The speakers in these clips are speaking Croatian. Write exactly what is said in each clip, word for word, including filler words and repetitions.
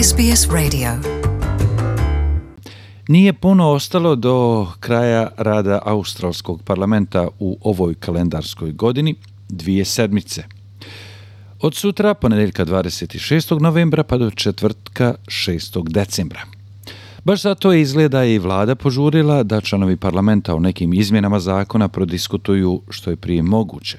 S B S Radio. Nije puno ostalo do kraja rada Australskog parlamenta u ovoj kalendarskoj godini, dvije sedmice. Od sutra, ponedjeljka dvadeset šestog novembra, pa do četvrtka šestog decembra. Baš zato je izgleda i vlada požurila da članovi parlamenta o nekim izmjenama zakona prodiskutuju što je prije moguće.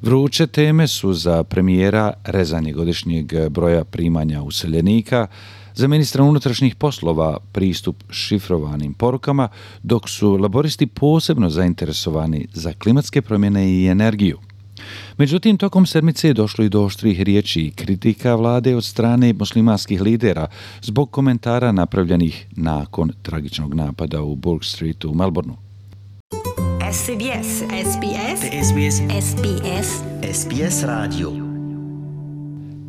Vruće teme su za premijera rezanje godišnjeg broja primanja useljenika, za ministra unutrašnjih poslova pristup šifrovanim porukama, dok su laboristi posebno zainteresovani za klimatske promjene i energiju. Međutim, tokom sedmice je došlo i do oštrih riječi i kritika vlade od strane muslimanskih lidera zbog komentara napravljenih nakon tragičnog napada u Bourke Streetu u Melbourneu. S B S, S B S, S B S, S B S, S B S Radio.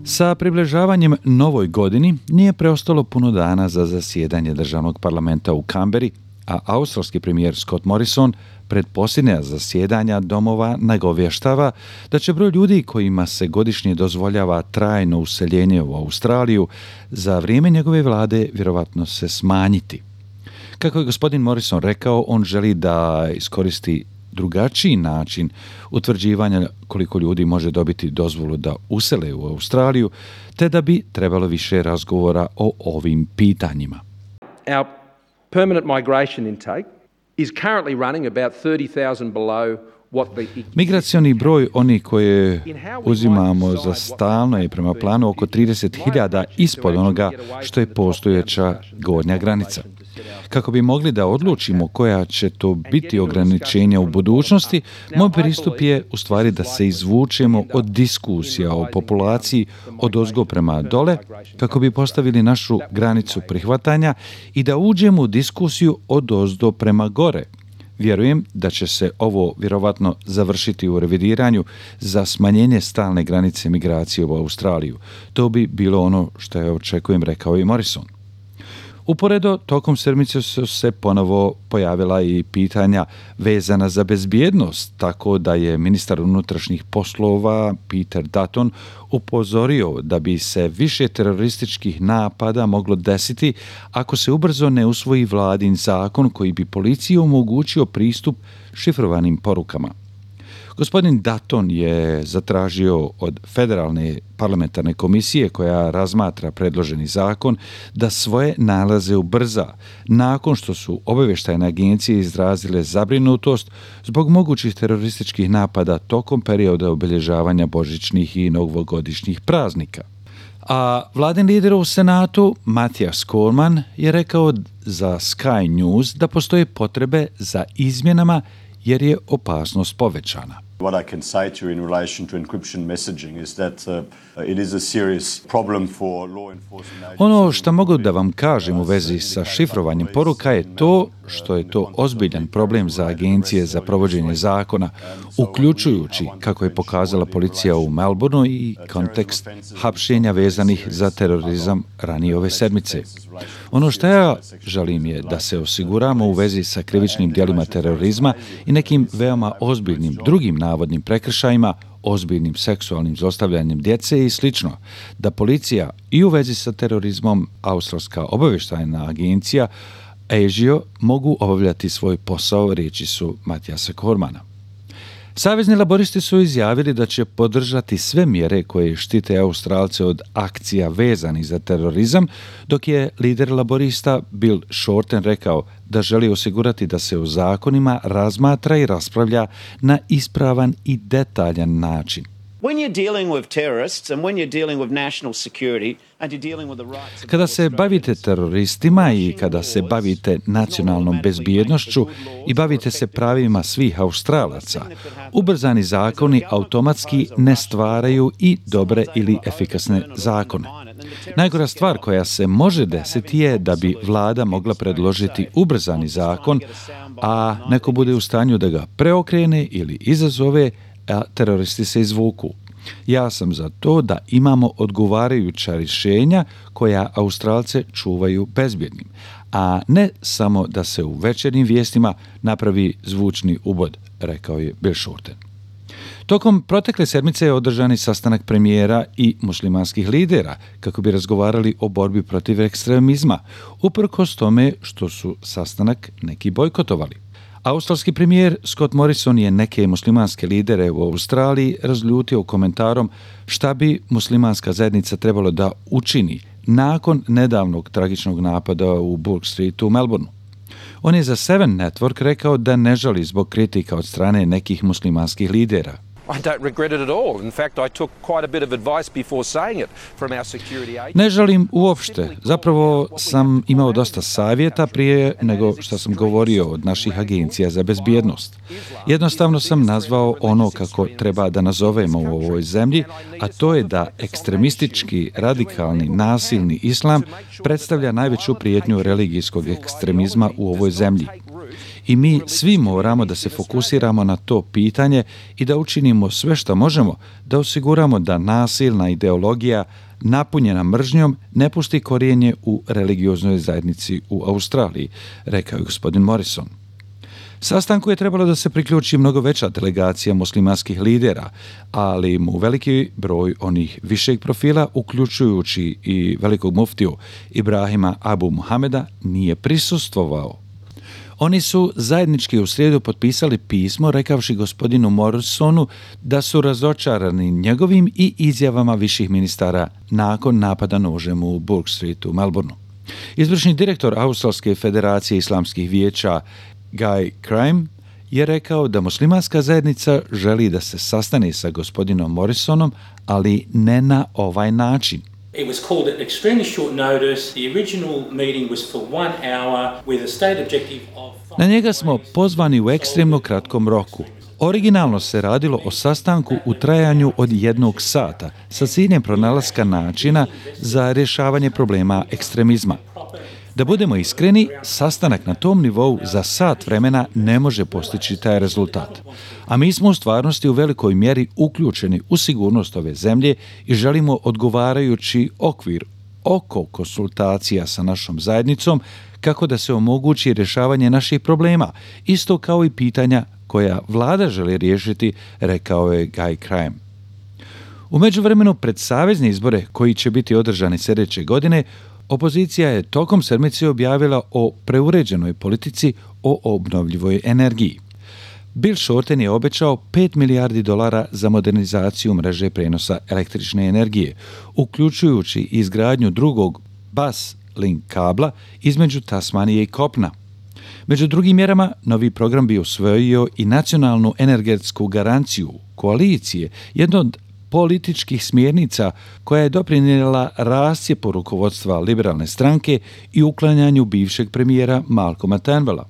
Sa približavanjem novoj godini nije preostalo puno dana za zasjedanje državnog parlamenta u Kamberi, a australski premijer Scott Morrison pred posljednja zasjedanja domova nagovještava da će broj ljudi kojima se godišnje dozvoljava trajno useljenje u Australiju za vrijeme njegove vlade vjerovatno se smanjiti. Kako je gospodin Morrison rekao, on želi da iskoristi drugačiji način utvrđivanja koliko ljudi može dobiti dozvolu da usele u Australiju, te da bi trebalo više razgovora o ovim pitanjima. Our permanent migration intake is currently running about thirty thousand below what the... Migracioni broj onih koje uzimamo za stalno je prema planu oko trideset hiljada ispod onoga što je postojeća gornja granica. Kako bi mogli da odlučimo koja će to biti ograničenja u budućnosti, moj pristup je u stvari da se izvučemo od diskusija o populaciji od ozgo prema dole, kako bi postavili našu granicu prihvatanja i da uđemo u diskusiju od ozdo prema gore. Vjerujem da će se ovo vjerovatno završiti u revidiranju za smanjenje stalne granice migracije u Australiju. To bi bilo ono što ja očekujem, rekao i Morrison. Uporedo, tokom sedmice su se ponovo pojavila i pitanja vezana za bezbjednost, tako da je ministar unutrašnjih poslova Peter Dutton upozorio da bi se više terorističkih napada moglo desiti ako se ubrzo ne usvoji vladin zakon koji bi policiji omogućio pristup šifrovanim porukama. Gospodin Dutton je zatražio od Federalne parlamentarne komisije koja razmatra predloženi zakon da svoje nalaze ubrza nakon što su obavještajne agencije izrazile zabrinutost zbog mogućih terorističkih napada tokom perioda obilježavanja božićnih i novogodišnjih praznika. A vladin lider u Senatu, Matthias Cormann, je rekao za Sky News da postoje potrebe za izmjenama jer je opasnost povećana. What I can say to you in relation to encryption messaging is that uh, it is a serious problem for law enforcement agencies. Ono što mogu da vam kažem u vezi sa šifrovanjem poruka je to što je to ozbiljan problem za agencije za provođenje zakona, uključujući, kako je pokazala policija u Melbourneu, i kontekst hapšenja vezanih za terorizam ranije ove sedmice. Ono što ja želim je da se osiguramo u vezi sa krivičnim djelima terorizma i nekim veoma ozbiljnim drugim navodnim prekršajima, ozbiljnim seksualnim zlostavljanjem djece i slično, da policija i u vezi sa terorizmom, Australska obavještajna agencija A S I O mogu obavljati svoj posao, riječi su Mathiasa Cormanna. Savezni laboristi su izjavili da će podržati sve mjere koje štite Australce od akcija vezanih za terorizam, dok je lider laborista Bill Shorten rekao da želi osigurati da se o zakonima razmatra i raspravlja na ispravan i detaljan način. When you're dealing with terrorists and when you're dealing with national security and you're dealing with the rights... Kada se bavite teroristima i kada se bavite nacionalnom bezbjednošću i bavite se pravima svih Australaca, ubrzani zakoni automatski ne stvaraju i dobre ili efikasne zakone. Najgora stvar koja se može desiti je da bi vlada mogla predložiti ubrzani zakon, a neko bude u stanju da ga preokrene ili izazove, a teroristi se izvuku. Ja sam za to da imamo odgovarajuća rješenja koja Australce čuvaju bezbjednim, a ne samo da se u večernjim vijestima napravi zvučni ubod, rekao je Bill Shorten. Tokom protekle sedmice je održan sastanak premijera i muslimanskih lidera kako bi razgovarali o borbi protiv ekstremizma, uprkos tome što su sastanak neki bojkotovali. Australski premijer Scott Morrison je neke muslimanske lidere u Australiji razljutio komentarom šta bi muslimanska zajednica trebalo da učini nakon nedavnog tragičnog napada u Bourke Streetu u Melbourneu. On je za Seven Network rekao da ne žali zbog kritika od strane nekih muslimanskih lidera. I don't regret it at all. In fact, I took quite a bit of advice before saying it from our security agents. Ne žalim uopšte. Zapravo sam imao dosta savjeta prije nego što sam govorio od naših agencija za bezbjednost. Jednostavno sam nazvao ono kako treba da nazovemo u ovoj zemlji, a to je da ekstremistički, radikalni, nasilni islam predstavlja najveću prijetnju religijskog ekstremizma u ovoj zemlji. I mi svi moramo da se fokusiramo na to pitanje i da učinimo sve što možemo da osiguramo da nasilna ideologija napunjena mržnjom ne pusti korijenje u religioznoj zajednici u Australiji, rekao je gospodin Morrison. Sastanku je trebalo da se priključi mnogo veća delegacija muslimanskih lidera, ali mu veliki broj onih višeg profila, uključujući i velikog muftiju Ibrahima Abu Muhameda, nije prisustvovao. Oni su zajednički u srijedu potpisali pismo rekavši gospodinu Morrisonu da su razočarani njegovim i izjavama viših ministara nakon napada nožem u Bourke Streetu u Melbourneu. Izvršni direktor Australske federacije islamskih vijeća Guy Crime je rekao da muslimanska zajednica želi da se sastane sa gospodinom Morrisonom, ali ne na ovaj način. It was called at extremely short notice. The original meeting was for one hour with a state objective of... Na njega smo pozvani u ekstremno kratkom roku. Originalno se radilo o sastanku u trajanju od jednog sata sa ciljem pronalaska načina za rješavanje problema ekstremizma. Da budemo iskreni, sastanak na tom nivou za sat vremena ne može postići taj rezultat. A mi smo u stvarnosti u velikoj mjeri uključeni u sigurnost ove zemlje i želimo odgovarajući okvir oko konsultacija sa našom zajednicom kako da se omogući rješavanje naših problema, isto kao i pitanja koja vlada želi riješiti, rekao je Guy Crime. U međuvremenu pred savezne izbore koji će biti održani sljedeće godine, opozicija je tokom sedmice objavila o preuređenoj politici o obnovljivoj energiji. Bill Shorten je obećao pet milijardi dolara za modernizaciju mreže prenosa električne energije, uključujući izgradnju drugog bus link kabla između Tasmanije i kopna. Među drugim mjerama, novi program bi usvojio i nacionalnu energetsku garanciju koalicije, jedno od političkih smjernica koja je doprinijela rascjepu rukovodstva liberalne stranke i uklanjanju bivšeg premijera Malcolma Turnbulla.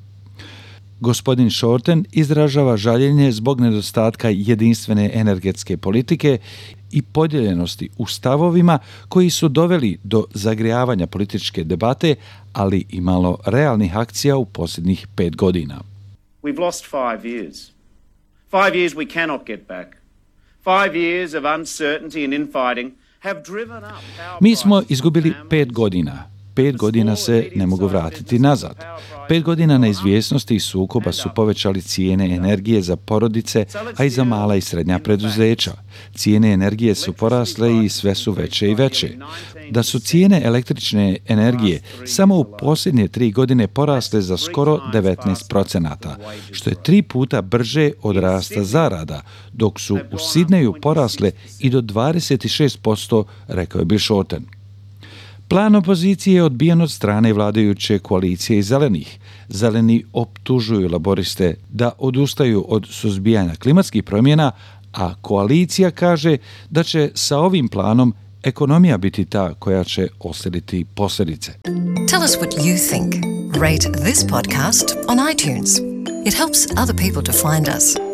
Gospodin Shorten izražava žaljenje zbog nedostatka jedinstvene energetske politike i podijeljenosti u stavovima koji su doveli do zagrijavanja političke debate, ali i malo realnih akcija u posljednjih pet godina. We've lost five years. Five years we cannot get back. Five years of uncertainty and infighting have driven up power Mi smo prices izgubili for pet families. godina. Pet godina se ne mogu vratiti nazad. Pet godina neizvjesnosti i sukoba su povećali cijene energije za porodice, a i za mala i srednja preduzeća. Cijene energije su porasle i sve su veće i veće. Da su cijene električne energije samo u posljednje tri godine porasle za skoro devetnaest procenata, što je tri puta brže od rasta zarada, dok su u Sidneju porasle i do dvadeset šest posto, rekao je Bill Shorten. Plan opozicije je odbijen od strane vladajuće koalicije i zelenih. Zeleni optužuju laboriste da odustaju od suzbijanja klimatskih promjena, a koalicija kaže da će sa ovim planom ekonomija biti ta koja će osjetiti posljedice. Tell us what you think. Rate this podcast on iTunes. It helps other people to find us.